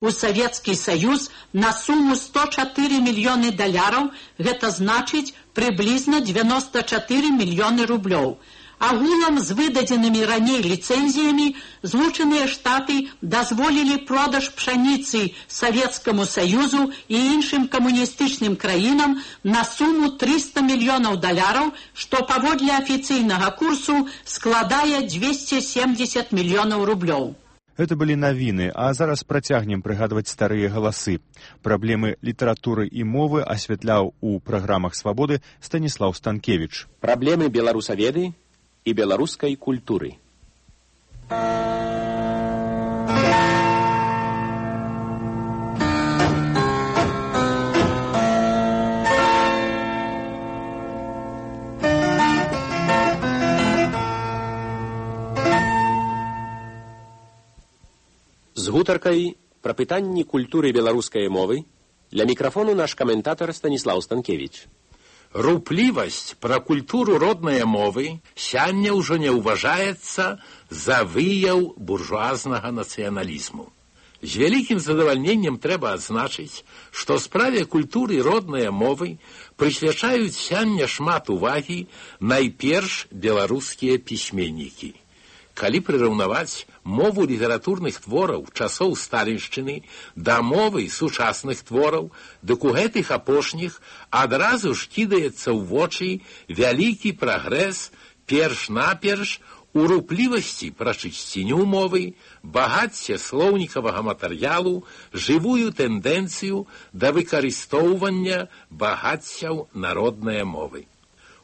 у Савецкі Саюз на суму $104 мільёны, гэта значыць прыблізна 94 мільёны рублёў. Агулам з выдадзенымі раней ліцэнзіямі Злучаныя Штаты дазволілі продаж пшаніцы Савецкаму Саюзу і іншым камуністычным краінам на суму $300 мільёнаў, што паводле афіцыйнага курсу складае 270 мільёнаў рублёў. Гэта былі навіны, а зараз працягнем прыгадваць старыя галасы. Праблемы літаратуры і мовы асвятляў у праграмах «Свабоды» Станіслаў Станкевіч. Праблемы беларусаведы і беларускай культуры. З гутаркай пра пытанні культуры беларускай мовы для мікрафону наш каментатар Станіслаў Станкевіч. Руплівасць пра культуру роднай мовы сёння ўжо не ўважаецца за выяў буржуазнага нацыяналізму. З вялікім задавальненнем трэба адзначыць, што справе культуры роднай мовы прысвячаюць сёння шмат увагі найперш беларускія пісьменнікі. Калі прыраўнаваць мову літаратурных твораў часоў сталіншчыны да мовы сучасных твораў, дык у гэтых апошніх адразу ж кідаецца ў вочы вялікі прагрэс перш-наперш у руплівасці пра чысціню мовы, багацце слоўнікавага матэрыялу, жывую тэндэнцыю да выкарыстоўвання багаццяў народнай мовы.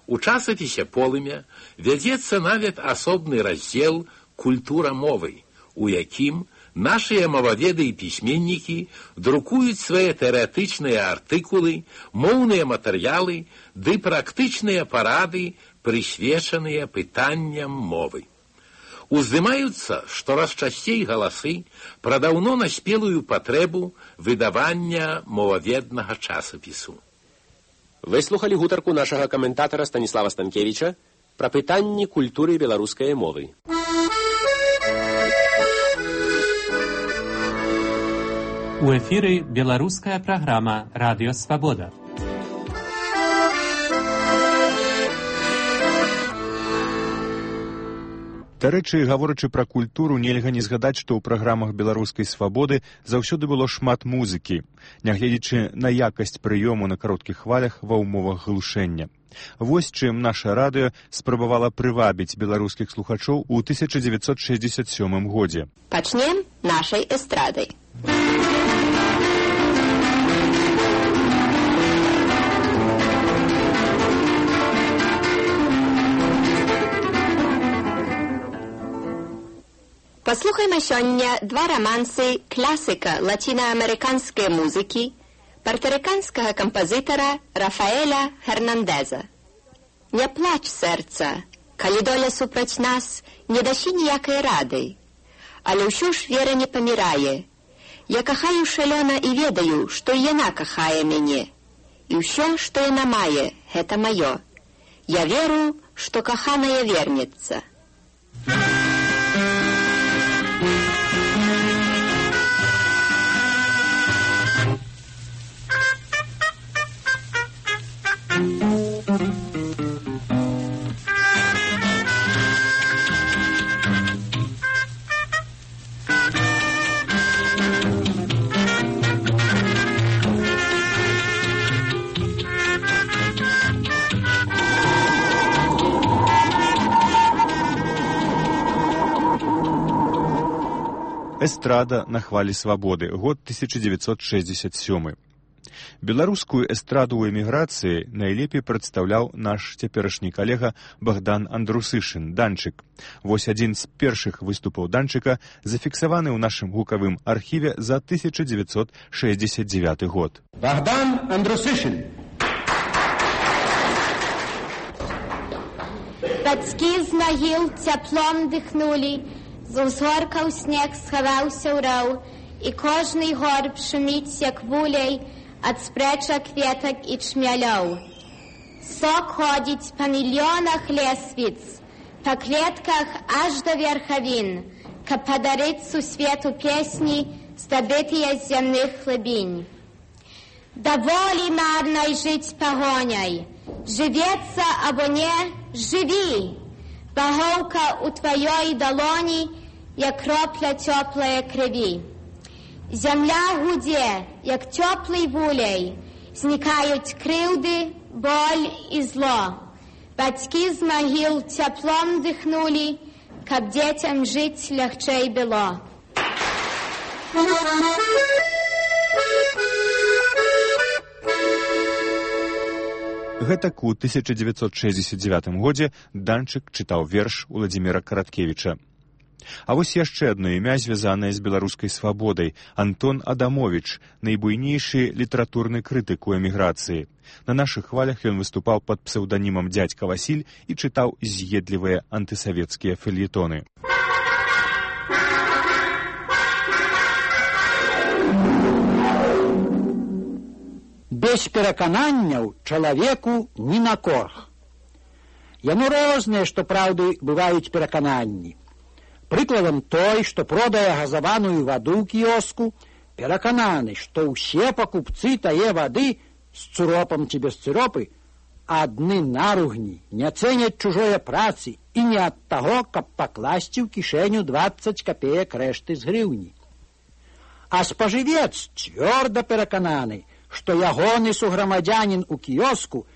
У часопісе «Полымя» вядзецца нават асобны раздзел «Культура мовы», у якім нашыя моваведы і пісьменнікі друкуюць свае тэарэтычныя артыкулы, моўныя матэрыялы ды практычныя парады, прысвечаныя пытанням мовы. Уздымаюцца штораз часцей галасы пра даўно наспелую патрэбу выдавання моваведнага часопісу. Вы слухалі гутарку нашага каментатара Станіслава Станкевіча пра пытанні культуры беларускай мовы. У эфіры беларуская праграма «Радыё Свабода». Дарэчы, гаворачы пра культуру, нельга не згадаць, што ў праграмах беларускай свабоды заўсёды было шмат музыкі, нягледзячы на якасць прыёму на кароткіх хвалях ва ўмовах глушэння. Вось чым наша радыё спрабавала прывабіць беларускіх слухачоў у 1967 годзе. Пачнем нашай эстрадай. Паслухайма сёння два рамансы класіка лацінаамерыканскай музыкі партарыканскага кампазітара Рафаэля Хернандеза. Не плач, сэрца, калі доля супраць нас не дасі ніякай рады, але ўсё ж вера не памірае. Я кахаю шалёна і ведаю, што і яна кахае мяне. І ўсё, што яна мае, гэта маё. Я веру, што каханая вернецца. Эстрада на хвалі свабоды, год 1967. Беларускую эстраду ў эміграцыі найлепей прадстаўляў наш цяперашні калега Богдан Андрусышын, Данчык. Вось адзін з першых выступаў Данчыка зафіксаваны ў нашым гукавым архіве за 1969 год. Богдан Андрусышын. Бацькі з магіл цяплом дыхнулі, з узгоркаў снег схаваўся ў раў, і кожны горб шуміць, як вулей, ад спрэчак кветак і чмялёў. Сок ходзіць па мільёнах лесвіц, па клетках аж да верхавін, каб падарыць сусвету песні здобитія з земних хлебінь. Доволі марной жить погоняй, живеться або не, живи. Боговка у твоей долоні, як кропля теплої крові. Земля гуде, як теплий вулей, зникають кривди, боль і зло. Батьки з могил теплом дихнули, каб дітям жить легчей було. Гэтак у 1969 годзе Данчык чытаў верш Уладзіміра Караткевіча. А вось яшчэ адно імя, звязанае з беларускай свабодай – Антон Адамовіч, найбуйнейшы літаратурны крытык у эміграцыі. На нашых хвалях ён выступаў пад псеўданімам «Дзядзька Васіль» і чытаў з'едлівыя антысавецкія фельетоны. Без перакананняў чалавеку ні на корх. Яно рознае, што праўды бываюць перакананні. Прыкладам той, што продае газаваную ваду ў кіоску, перакананы, што ўсе пакупцы тае вады з цыропам ці без цыропы адны наругні, не цэняць чужое працы і не ад таго, каб пакласці ў кішэню 20 капеек рэшты з грыўні. А спажывец цвёрда перакананы, што ягоны суграмадзянін у кіоску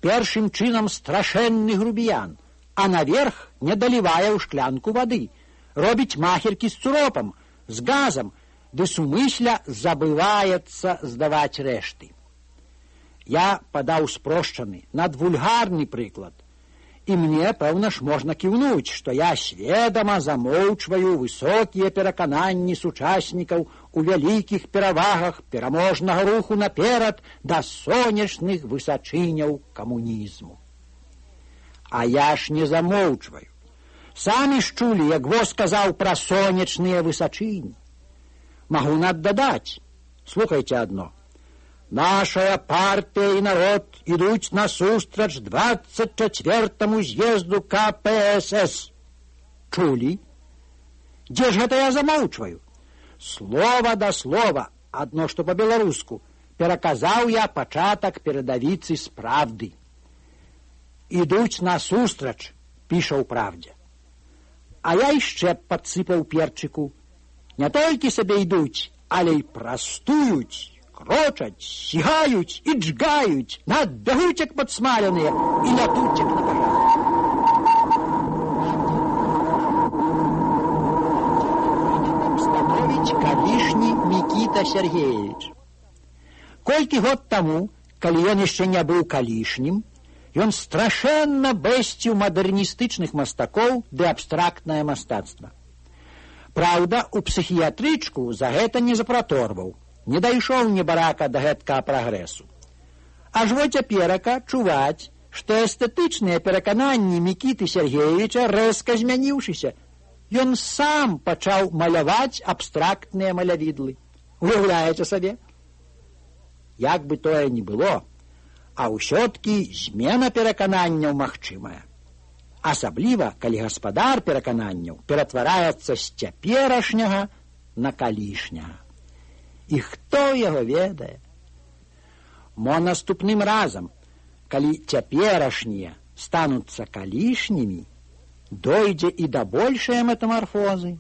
першым чынам страшэнны грубіян, а наверх не далівае ў шклянку вады, робіць махеркі з цуропам, з газам, ды сумысля забываецца здаваць рэшты. Я падаў спрошчаны, надвульгарны прыклад. І мне, пэўна ж, можна кіўнуць, што я сведама замоўчваю высокія перакананні сучаснікаў у вялікіх перавагах пераможнага руху наперад да сонечных высачыняў камунізму. А я ж не замоўчваю. Самі ж чулі, як воз сказаў пра сонечныя высачыні. Магу наддадаць. Слухайце адно. Нашая партия и народ идут насустрач 24-му з'езду КПСС. Чули? Где ж это я замолчваю? Слово да слова, одно что по-беларуску, пераказаў я пачатак перадавіцы з правды. Ідуць насустрач, піша ў правдзе. А я яшчэ падсыпаў перчыку. Не толькі сабе ідуць, але і прастуюць, крочаць, сігаюць і джгаюць, надбягуць як падсмаленыя і лятуць як на пажар. Становіць калішні Мікіта Сергеевич. Колькі год таму, калі ён яшчэ не быў калішнім, ён страшэнна бэсціў мадэрністычных мастакоў ды абстрактнае мастацтва. Праўда, у псіхіятрычку за гэта не запраторваў. Не дайшоў небарака да гэткага прагрэсу. Аж во цяперака чуваць, што эстэтычныя перакананні Мікіты Сергеевича рэзка змяніўшыся. Ён сам пачаў маляваць абстрактныя малявідлы. Уяўляеце сабе? Як бы тое ні было, а ўсё-ткі змена перакананняў магчымая. Асабліва, калі гаспадар перакананняў ператвараецца з цяперашняга на калішняга. І хто яго ведае? Мо наступным разам, калі цяперашнія стануцца калішнімі, дойдзе і да большай метамарфозы.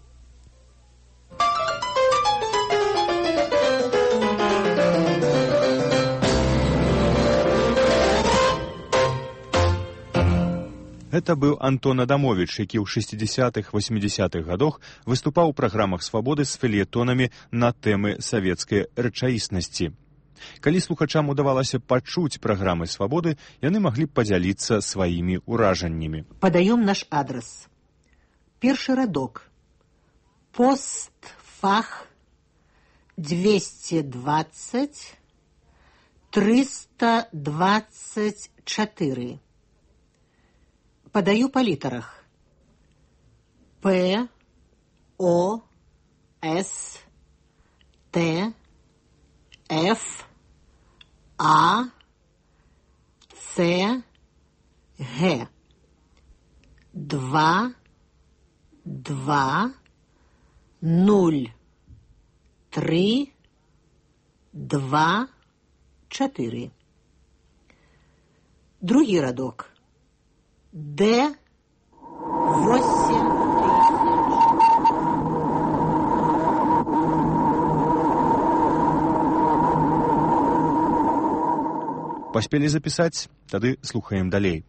Гэта быў Антон Адамовіч, які ў 60-х-80-х гадах выступаў у праграмах «Свабоды» з фельетонамі на тэмы савецкай рэчаіснасці. Калі слухачам удавалася пачуць праграмы «Свабоды», яны маглі б падзяліцца сваімі ўражаннямі. Падаём наш адрас. Першы радок. Постфах 220 324. Падаю па літарах. П, О, С, Т, Ф, А, Ц, Г. 2, 2, 0, 3, 2, 4. Другий радок. Д, 8 тысяч. Паспелі запісаць? Тады слухаем далей.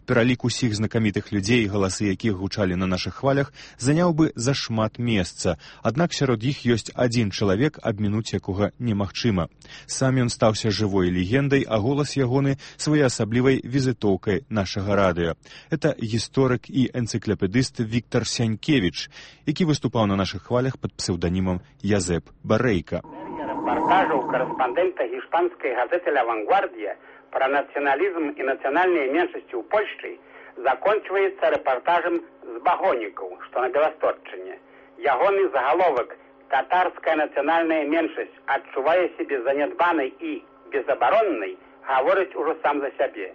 Пералік усіх знакамітых людзей, галасы якіх гучалі на нашых хвалях, заняў бы зашмат месца. Аднак сярод іх ёсць адзін чалавек, абмінуць якога немагчыма. Сам ён стаўся жывой легендай, а голас ягоны своеасаблівай візітоўкай нашага радыё. Это гісторык і энцыклапедыст Віктор Сянькевіч, які выступаў на нашых хвалях пад псеўданімам Язэп Барэйка. Репортажу корреспондента испанской газеты «Ла Вангвардия» про национализм и национальные меньшости у Польши заканчивается репортажем с Багоников, что на Белосточине. Ягоный заголовок «Татарская национальная меньшость, отчувая себе занедбанной и безоборонной», говорит уже сам за себе.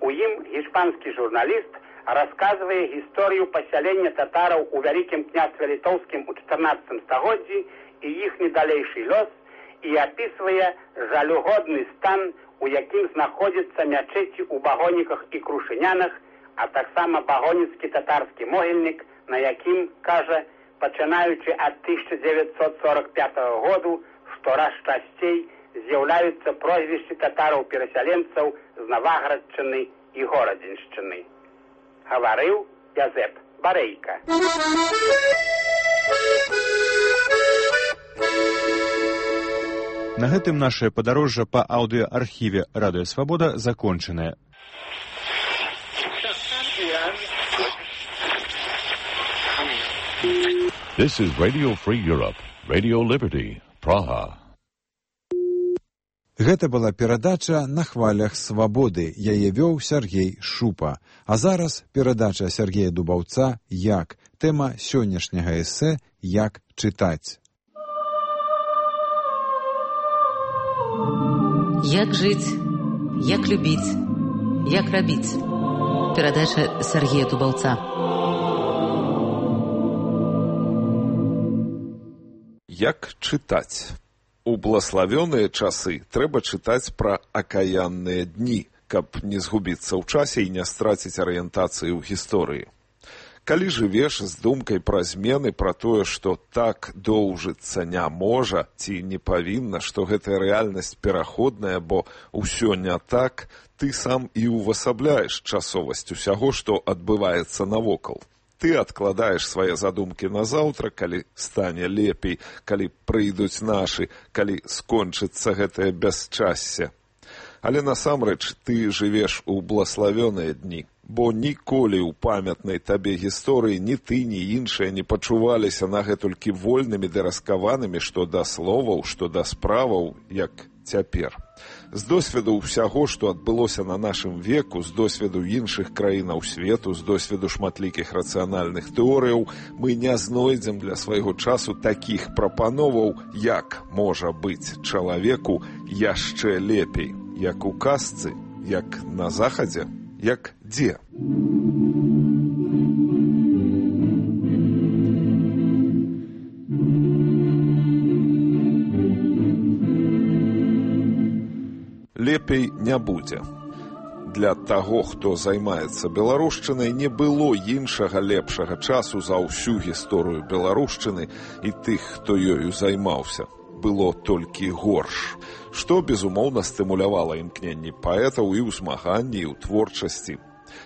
У им испанский журналист, рассказывая историю поселения татаров у Великим княжестве Литовским у 14 столетии и их недалейший лёс, и описывая жалюгодный стан, у яким знаходзяцца мячэці ў Багоніках і Крушынянах, а таксама багоніцкі татарскі могільнік, на якім, кажа, пачынаючы ад 1945 году, штораз часцей з'яўляюцца прозвішчы татараў-перасяленцаў з Наваградчыны і Горадзеншчыны. Гаварыў Язэп Барэйка. На гэтым нашае падарожжа па аўдыоархіве Радыё Свабода закончанае. This is Radio Free Europe, Radio Liberty, Praha. Гэта была перадача «На хвалях свабоды». Яе вёў Сергей Шупа. А зараз перадача Сергея Дубаўца «Як». Тэма сённяшняга эсэ «Як чытаць». Як жыць, як любіць, як рабіць. Перадача Сергея Дубаўца. Як чытаць? У блаславёныя часы трэба чытаць пра акаянныя дні, каб не згубіцца ў часе і не страціць арыентацыі ў гісторыі. Калі жывеш з думкай пра змены, пра тое, што так доўжыцца не можа ці не павінна, што гэтая рэальнасць пераходная, бо ўсё не так, ты сам і ўвасабляеш часовасць усяго, што адбываецца навокал. Ты адкладаеш свае задумкі на заўтра, калі стане лепей, калі прыйдуць нашы, калі скончыцца гэтае бясчасце. Але насамрэч ты жывеш у блаславёныя дні, бо ніколі ў памятнай табе гісторыі ні ты, ні іншыя не пачуваліся нагэтулькі вольнымі ды раскаванымі што да словаў, што да справаў, як цяпер. З досведу ўсяго, што адбылося на нашым веку, з досведу іншых краінаў свету, з досведу шматлікіх рацыянальных тэорыяў, мы не знойдзем для свайго часу такіх прапановаў, як можа быць чалавеку яшчэ лепей, як у казцы, як на захадзе, як дзе. Лепей не будзе. Для таго, хто займаецца беларушчынай, не было іншага лепшага часу за ўсю гісторыю беларушчыны і тых, хто ёю займаўся. Было толькі горш, што, безумоўна, стымулявала імкненні паэтаў і ў змаганні, і ў творчасці.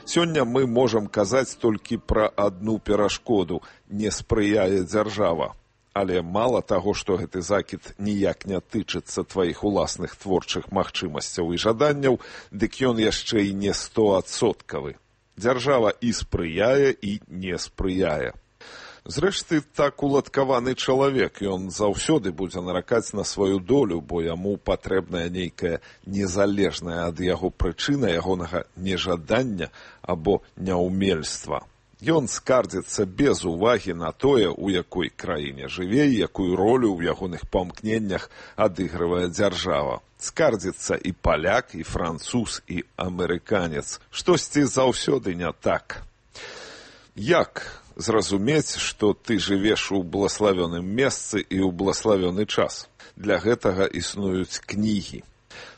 Сёння мы можам казаць толькі пра адну перашкоду – не спрыяе дзяржава. Але мала таго, што гэты закід ніяк не тычыцца тваіх уласных творчых магчымасцяў і жаданняў, дык ён яшчэ і не 100%. Дзяржава і спрыяе, і не спрыяе. Зрэшты, так уладкаваны чалавек, ён заўсёды будзе наракаць на сваю долю, бо яму патрэбная нейкая незалежная ад яго прычына ягонага нежадання або няўмельства. Ён скардзіцца без увагі на тое, у якой краіне жыве і якую ролю ў ягоных памкненнях адыгрывае дзяржава. Скардзіцца і паляк, і француз, і амерыканец. Штосьці заўсёды не так. Як зразумець, што ты жывеш у блаславёным месцы і ў блаславёны час. Для гэтага існуюць кнігі.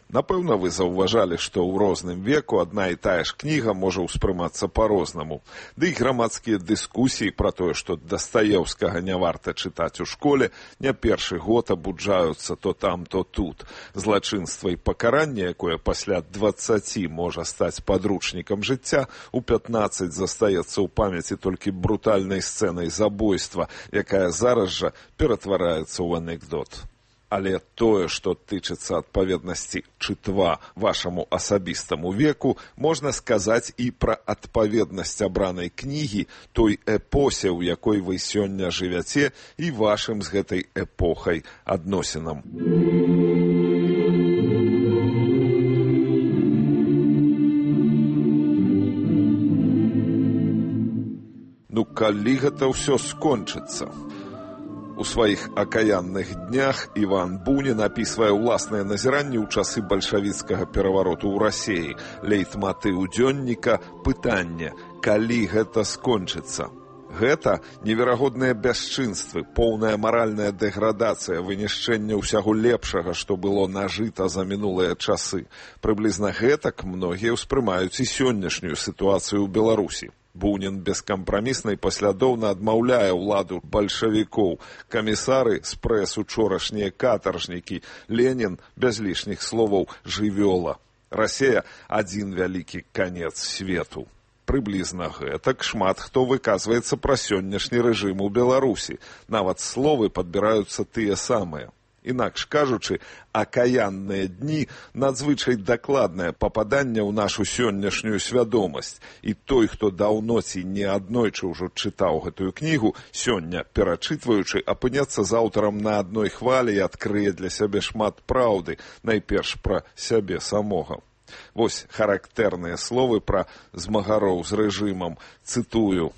Напэўна, вы заўважалі, што ў розным веку адна і тая ж кніга можа ўспрымацца па-рознаму. Ды і грамадскія дыскусіі пра тое, што Дастаеўскага не варта чытаць у школе, не першы год абуджаюцца то там, то тут. Злачынства і пакаранне, якое пасля 20 можа стаць падручнікам жыцця, у 15 застаецца ў памяці толькі брутальнай сцэнай забойства, якая зараз жа ператвараецца ў анекдот. Але тое, што тычыцца адпаведнасці чытва вашаму асабістаму веку, можна сказаць і пра адпаведнасць абранай кнігі той эпосе, у якой вы сёння жывяце, і вашым з гэтай эпохай адносінам. Ну, калі гэта ўсё скончыцца? У сваіх акаянных днях Іван Бунін апісвае ўласныя назіранні ў часы бальшавіцкага перавароту ў Расіі. Лейтматыў дзённіка – пытанне, калі гэта скончыцца. Гэта неверагодныя бясчынствы, поўная маральная дэградацыя, вынішчэнне ўсяго лепшага, што было нажыта за мінулыя часы. Прыблізна гэтак многія ўспрымаюць і сённяшнюю сітуацыю ў Беларусі. Бунін бескампрамісна і паслядоўна адмаўляе ўладу бальшавікоў. Камісары з прэс учорашнія катаржнікі. Ленін, без лішніх словаў, жывёла. Расія – адзін вялікі канец свету. Прыблізна гэтак шмат хто выказваецца пра сённяшні рэжым у Беларусі. Нават словы падбіраюцца тыя самыя. Інакш кажучы, акаянныя дні – надзвычай дакладнае пападанне ў нашу сённяшнюю свядомасць. І той, хто даўно ці не аднойчы ўжо чытаў гэтую кнігу, сёння, перачытваючы, апынецца з аўтарам на адной хвалі і адкрые для сябе шмат праўды, найперш пра сябе самога. Вось характэрныя словы пра змагароў з рэжымам. Цытую.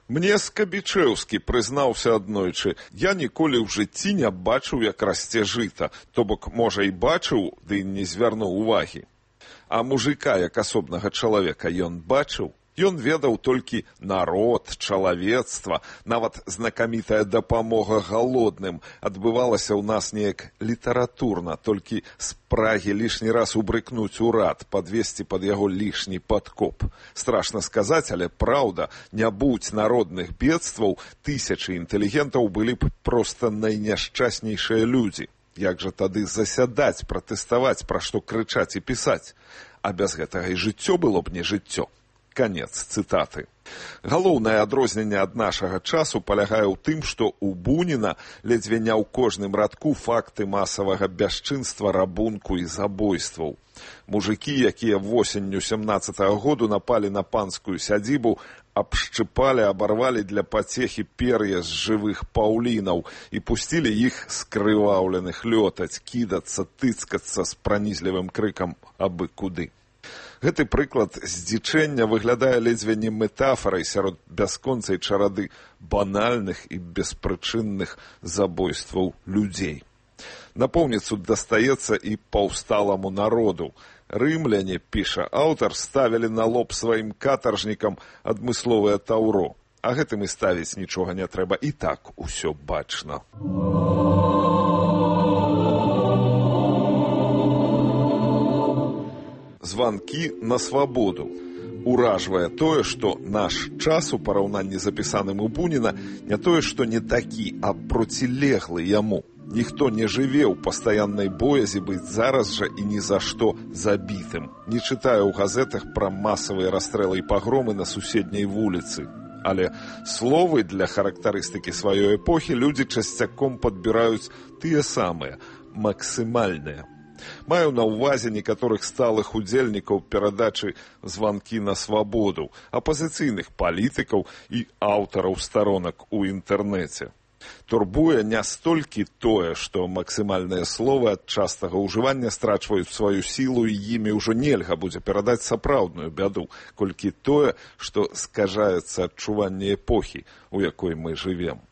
Мне Скабічэўскі прызнаўся аднойчы, я ніколі ў жыцці не бачыў, як расце жыта, то бок, можа, і бачыў, ды не звярнуў увагі. А мужика, як асобнага чалавека, ён бачыў? Ён ведаў толькі народ, чалавецтва, нават знакамітая дапамога галодным адбывалася ў нас неяк літаратурна, толькі з прагі лішні раз убрыкнуць урад, падвесці пад яго лішні падкоп. Страшна сказаць, але праўда, не будь народных бедстваў, тысячы інтэлігентаў былі б проста найняшчаснейшыя людзі. Як жа тады засядаць, пратэставаць, пра што крычаць і пісаць? А без гэтага і жыццё было б не жыццё. Канец цытаты. Галоўнае адрозненне ад нашага часу палягае ў тым, што ў Буніна ледзьве не ў кожным радку факты масавага бясчынства, рабунку і забойстваў. Мужыкі, якія восенню 17-го году напалі на панскую сядзібу, абшчыпалі, абарвалі для пацехі пер'я з жывых паўлінаў і пусцілі іх скрываўленых лётаць, кідацца, тыцкацца з пранізлівым крыкам абы куды. Гэты прыклад здзічэння выглядае ледзьве не метафарай сярод бясконцай чарады банальных і беспрычынных забойстваў людзей. Напоўніцу дастаецца і паўсталаму народу. Рымляне, піша аўтар, ставілі на лоб сваім катаржнікам адмысловае таўро. А гэтым і ставіць нічога не трэба, і так усё бачна. Званкі на свабоду. Уражвае тое, што наш час у параўнанні з апісаным у Буніна не тое, што не такі, а процілеглы яму. Ніхто не жыве ў пастаяннай боязі быць зараз жа і ні за што забітым. Не чытае ў газетах пра масавыя расстрэлы і пагромы на суседняй вуліцы. Але словы для характарыстыкі сваёй эпохі людзі часцяком падбіраюць тыя самыя, максімальныя. Маю на ўвазе некаторых сталых удзельнікаў перадачы «Званкі на свабоду», апазіцыйных палітыкаў і аўтараў старонак у інтэрнэце. Турбуе не столькі тое, што максімальныя словы ад частага ўжывання страчваюць сваю сілу і імі ўжо нельга будзе перадаць сапраўдную бяду, колькі тое, што скажаецца адчуванне эпохі, у якой мы жывем.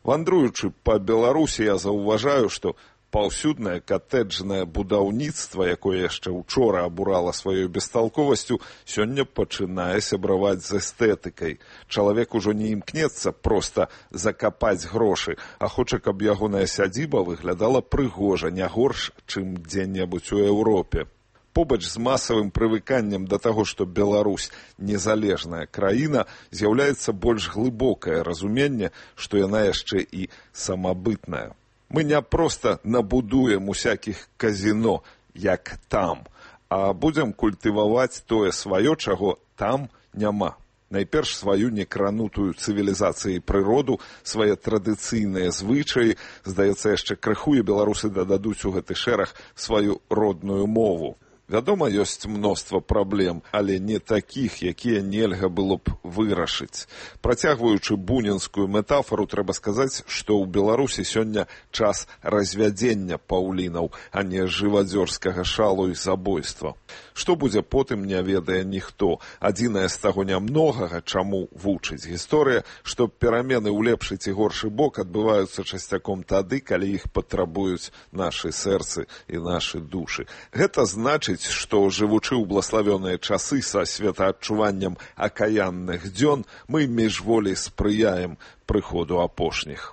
Вандруючы па Беларусі, я заўважаю, што Паўсюднае катэджнае будаўніцтва, якое яшчэ учора абурала сваёй бесталковасцю, сёння пачынае сябраваць з эстэтыкай. Чалавек ужо не імкнецца проста закапаць грошы, а хоча, каб ягоная сядзіба выглядала прыгожа, не горш, чым дзе-небудзь у Еўропе. Побач з масавым прывыканнем да таго, што Беларусь незалежная краіна, з'яўляецца больш глыбокае разуменне, што яна яшчэ і самабытная. Мы не проста набудуем усякіх казіно, як там, а будзем культываваць тое сваё, чаго там няма. Найперш сваю некранутую цывілізацыяй прыроду, свае традыцыйныя звычаі, здаецца, яшчэ крыху і беларусы дададуць у гэты шэраг сваю родную мову. Вядома, ёсць мноства праблем, але не такіх, якія нельга было б вырашыць. Працягваючы бунінскую метафору, трэба сказаць, што ў Беларусі сёння час развядзення паўлінаў, а не жывадзёрскага шалу і забойства. Што будзе потым, не ведае ніхто. Адзінае з таго нямногага, чаму вучыць гісторыя, што перамены ў лепшы ці горшы бок адбываюцца часцяком тады, калі іх патрабуюць нашы сэрцы і нашы душы. Гэта значыць, што, жывучы ў блаславёныя часы са светаадчуваннем акаянных дзён, мы міжволі спрыяем прыходу апошніх.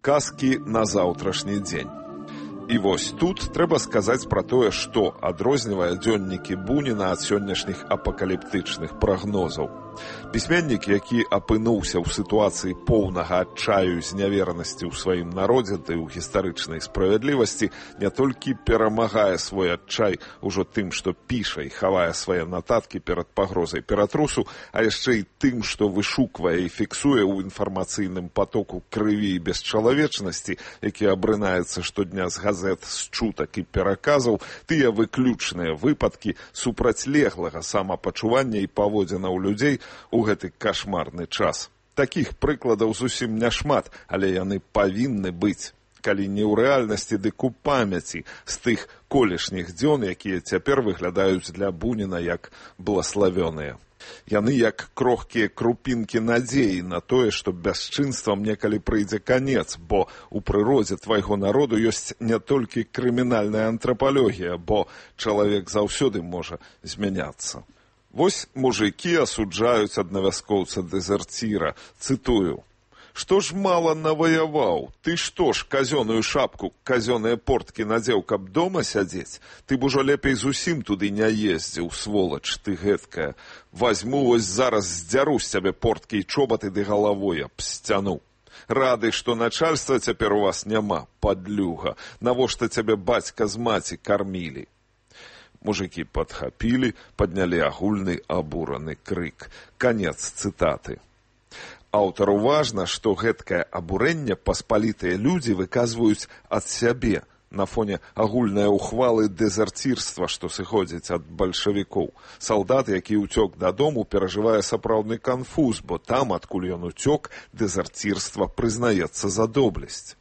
Казкі на заўтрашні дзень. І вось тут трэба сказаць пра тое, што адрознівае дзённікі Буніна ад сённяшніх апакаліптычных прагнозаў. Пісьменнік, які апынуўся ў сітуацыі поўнага адчаю і зняверанасці ў сваім народзе ды ў гістарычнай справядлівасці, не толькі перамагае свой адчай ужо тым, што піша і хавае свае нататкі перад пагрозай ператрусу, а яшчэ і тым, што вышуквае і фіксуе ў інфармацыйным потоку крыві і бесчалавечнасці, які абрынаецца штодня з газет, з чутак і пераказаў, тыя выключныя выпадкі супрацьлеглага самапачування і паводзінаў людзей у гэты кашмарны час. Такіх прыкладаў зусім няшмат, але яны павінны быць. Калі не ў рэальнасці, дык у памяці з тых колішніх дзён, якія цяпер выглядаюць для Буніна як блаславёныя. Яны як крохкія крупінкі надзеі на тое, што бясчынствам некалі прыйдзе канец, бо ў прыродзе твайго народу ёсць не толькі крымінальная антрапалогія, бо чалавек заўсёды можа змяняцца. Вось мужыкі асуджаюць аднавяскоўца-дэзерціра, цытую: «Што ж мала наваяваў? Ты што ж казёную шапку, казёныя порткі надзеў, каб дома сядзець? Ты б ужо лепей зусім туды не ездзіў, сволач ты гэткая. Вазьму вось зараз здзяру з цябе порткі і чобаты ды галавой аб сцяну. Рады, што начальства цяпер у вас няма, падлюга. Навошта цябе бацька з маці кармілі?» Мужыкі падхапілі, паднялі агульны абураны крык. Канец цытаты. Аўтару важна, што гэткае абурэнне паспалітыя людзі выказваюць ад сябе на фоне агульнай ухвалы дэзерцірства, што сыходзіць ад бальшавікоў. Салдат, які ўцёк дадому, перажывае сапраўдны канфуз, бо там, адкуль ён уцёк, дэзерцірства прызнаецца за доблесць.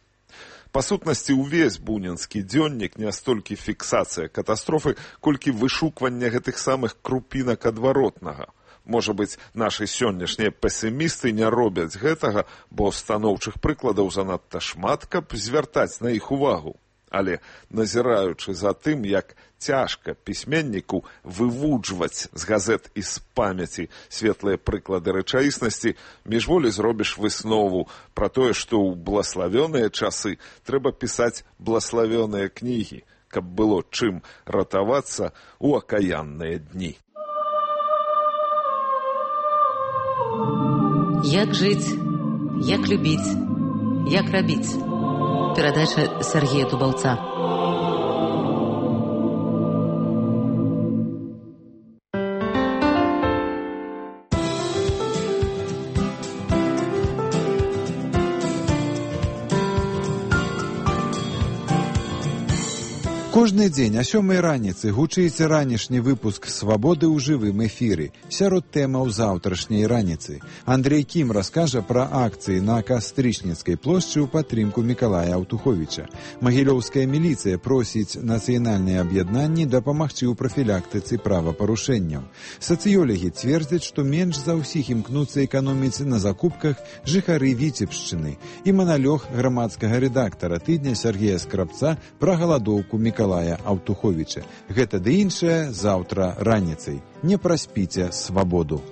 Па сутнасці, увесь бунінскі дзённік не столькі фіксацыя катастрофы, колькі вышукванне гэтых самых крупінак адваротнага. Можа быць, нашы сённяшнія песімісты не робяць гэтага, бо станоўчых прыкладаў занадта шмат, каб звяртаць на іх увагу. Але, назіраючы за тым, як цяжка пісьменніку вывуджваць з газет і з памяці светлыя прыклады рэчаіснасці, міжволі зробіш выснову пра тое, што ў блаславёныя часы трэба пісаць блаславёныя кнігі, каб было чым ратавацца ў акаянныя дні. Як жыць, як любіць, як рабіць. Перадача Сергея Дубаўца. Кожны дзень о 7 раніцы гучыць ранішні выпуск «Свабоды» ў жывым эфіры. Сярод тэмаў заўтрашняй раніцы. Андрей Кім раскажа пра акцыі на Кастрычніцкай плошчы ў падтрымку Мікалая Аўтуховіча. Магілёўская міліцыя просіць нацыянальныя аб'яднанні дапамагчы ў прафілактыцы правапарушэнняў. Сацыёлагі цвердзяць, што менш за ўсіх імкнуцца эканоміць на закупках жыхары Віцебшчыны. І маналёг грамадскага рэдактара тыдня Сергея Скрабца пра галадоўку Мікалая Аўтуховіча. Гэта ды іншае заўтра раніцай. Не праспіце свабоду.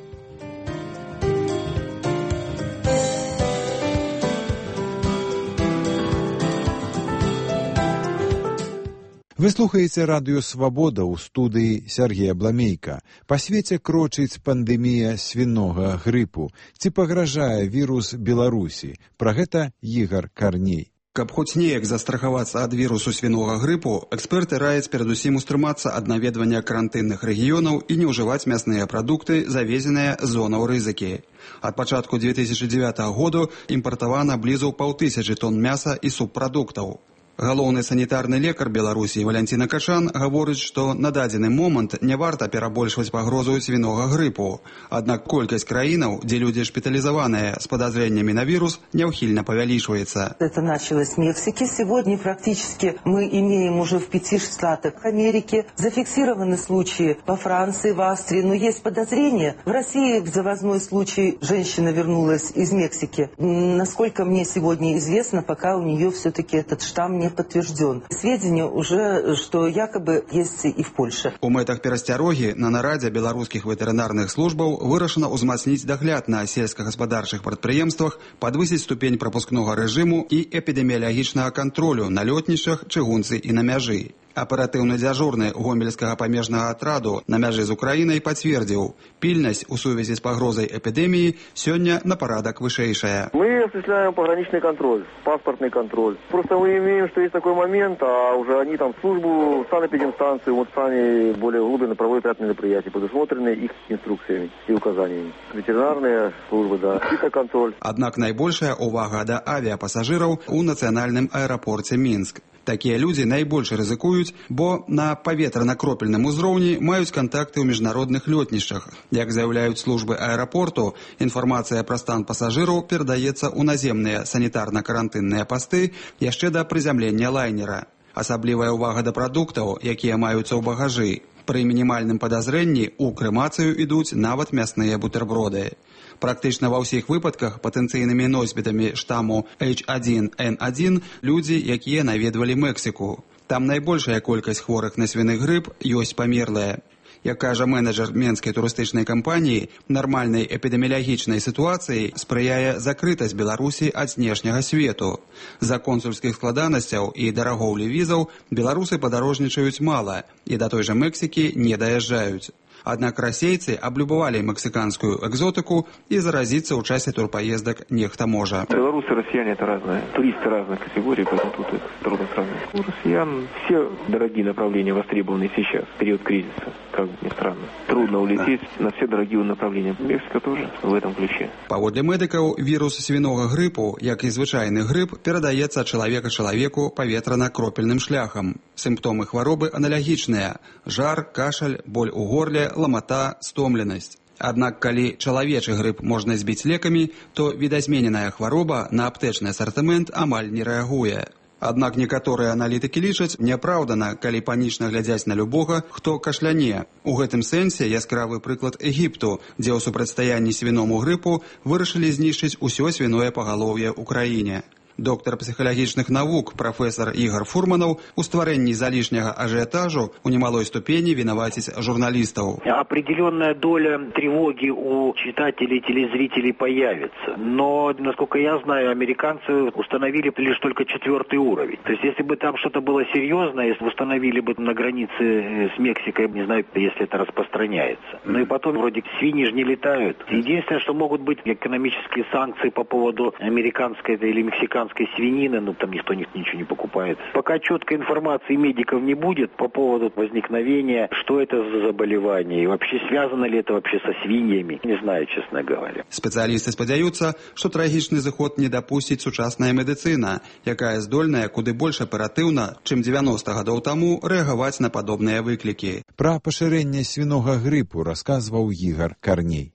Вы слухаеце радыё «Свабода» ў студыі Сергея Бламейка. Па свеце крочыць пандэмія свінога грыпу. Ці пагражае вірус Беларусі? Пра гэта Ігар Карней. Каб хоць неяк застрахавацца ад вірусу свінога грыпу, эксперты раяць перадусім устрымацца ад наведвання карантынных рэгіёнаў і не ўжываць мясныя прадукты, завезеныя з зонаў рызыкі. Ад пачатку 2009 году імпартавана блізу 500 тонн мяса і субпрадуктаў. Галоўны санітарны лекар Беларусі Валянціна Качан гаворыць, што на дадзены момант не варта перабольшваць пагрозу свінога грыпу. Аднак колькасць краінаў, дзе людзі шпіталізаваныя з падазреннямі на вірус, няўхільна павялічваецца. Это началось с Мексики. Сегодня практически мы имеем уже в 5 штатах Америки. Зафиксированы случаи во Франции, в Австрии. Но есть подозрения. В России завозной случай. Женщина вернулась из Мексики. Насколько мне сегодня известно, пока у нее все-таки этот штамм не подтвержден. Сведения уже, что якобы есть и в Польше. У мэтах перасцярогі на нарадзе беларускіх ветэрынарных службаў вырашана ўзмацніць дагляд на сельскагаспадарчых прадпрыемствах, падвысіць ступень прапускнога рэжыму і эпідэміялагічнага кантролю на лётнішчах, чыгунцы і на мяжы. Аператыўны дзяжурны гомельскага памежнага атраду на мяжы з Украінай пацвердзіў, пільнасць у сувязі з пагрозай эпідэміі сёння на парадак вышэйшая. Мы осуществляем пограничный контроль, паспортный контроль. Просто мы имеем, что есть такой момент, а уже они там службу, санэпидемстанцию, вот сами более глубинно проводят ряд мероприятий, предусмотренные их инструкциями и указаниями. Ветеринарные службы, да, фитоконтроль. Аднак найбольшая увага да авіапасажыраў у нацыянальным аэрапорце Мінск. Такія людзі найбольш рызыкуюць, бо на паветрана-кропельным узроўні маюць кантакты ў міжнародных лётнішчах. Як заяўляюць службы аэрапорту, інфармацыя пра стан пасажыраў перадаецца ў наземныя санітарна-карантынныя пасты яшчэ да прызямлення лайнера. Асаблівая ўвага да прадуктаў, якія маюцца ў багажы. Пры мінімальным падазрэнні ў крэмацыю ідуць нават мясныя бутэрброды. Практычна ва ўсіх выпадках патэнцыйнымі носьбітамі штаму H1N1 людзі, якія наведвалі Мексіку. Там найбольшая колькасць хворых на свіны грып ёсць памерлыя. Як кажа менеджер менскай турыстычнай кампаніі, нармальнай эпідэміялагічнай сітуацыі спрыяе закрытасць Беларусі ад знешняга свету. З-за консульскіх складанасцяў і дарагоўлі візаў беларусы падарожнічаюць мала і да той жа Мексікі не даязджаюць. Аднак расейцы аблюбавалі мексиканскую экзотику и заразиться в часе турпоездок нехта можа. Белорусы и россияне это разные, туристы разных категорий, поэтому тут их трудно сравнить. У россиян все дорогие направления востребованы сейчас, в период кризиса, как ни странно. Трудно улететь на все дорогие направления. Мексика тоже в этом ключе. Паводле медыкаў, вірус свінога грыпу, як і звычайны грып, перадаецца ад чалавека чалавеку паветрана-кропельным шляхам. Сімптомы хваробы аналагічныя: жар, кашаль, боль у горле, ламата, стомленасць. Аднак, калі чалавечы грып можна збіць лекамі, то відазмененая хвароба на аптэчны асартымент амаль не рэагуе. Аднак некаторыя аналітыкі лічаць няпраўдана, калі панічна глядзяць на любога, хто кашляне. У гэтым сэнсе яскравы прыклад Егіпту, дзе ў супрацьстаянні свіному грыпу вырашылі знішчыць усё свіное пагалоўе ў краіне. Доктор психологічных навук профессор Игорь Фурманов у стварэнні залішняга ажиотажу у немалой ступени виноватить журналистов. Определенная доля тревоги у читателей, телезрителей появится. Но, насколько я знаю, американцы установили лишь только 4-й уровень. То есть, если бы там что-то было серьезное, если установили бы на границе с Мексикой, не знаю, если это распространяется. Ну и потом, вроде, свиньи же не летают. Единственное, что могут быть экономические санкции по поводу американской или мексиканской пармезанской свинины, но там никто ничего не покупает. Пока четкой информации медиков не будет по поводу возникновения, что это за заболевание, и вообще связано ли это вообще со свиньями, не знаю, честно говоря. Спецыялісты спадзяюцца, што трагічны зыход не дапусціць сучасная медыцына, якая здольная куды больш аператыўна, чым 90 гадоў таму, рэагаваць на падобныя выклікі. Пра пашырэнне свінога грыпу расказваў Ігар Карней.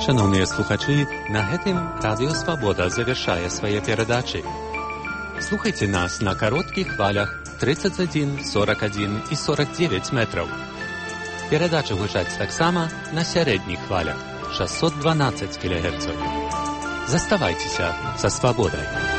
Шановныя слухачы, на гэтым Радыё Свабода завяршае свае перадачы. Слухайце нас на кароткіх хвалях 31, 41 і 49 метраў. Перадачы гучаць таксама на сярэдніх хвалях 612 кГц. Заставайцеся са свабодай.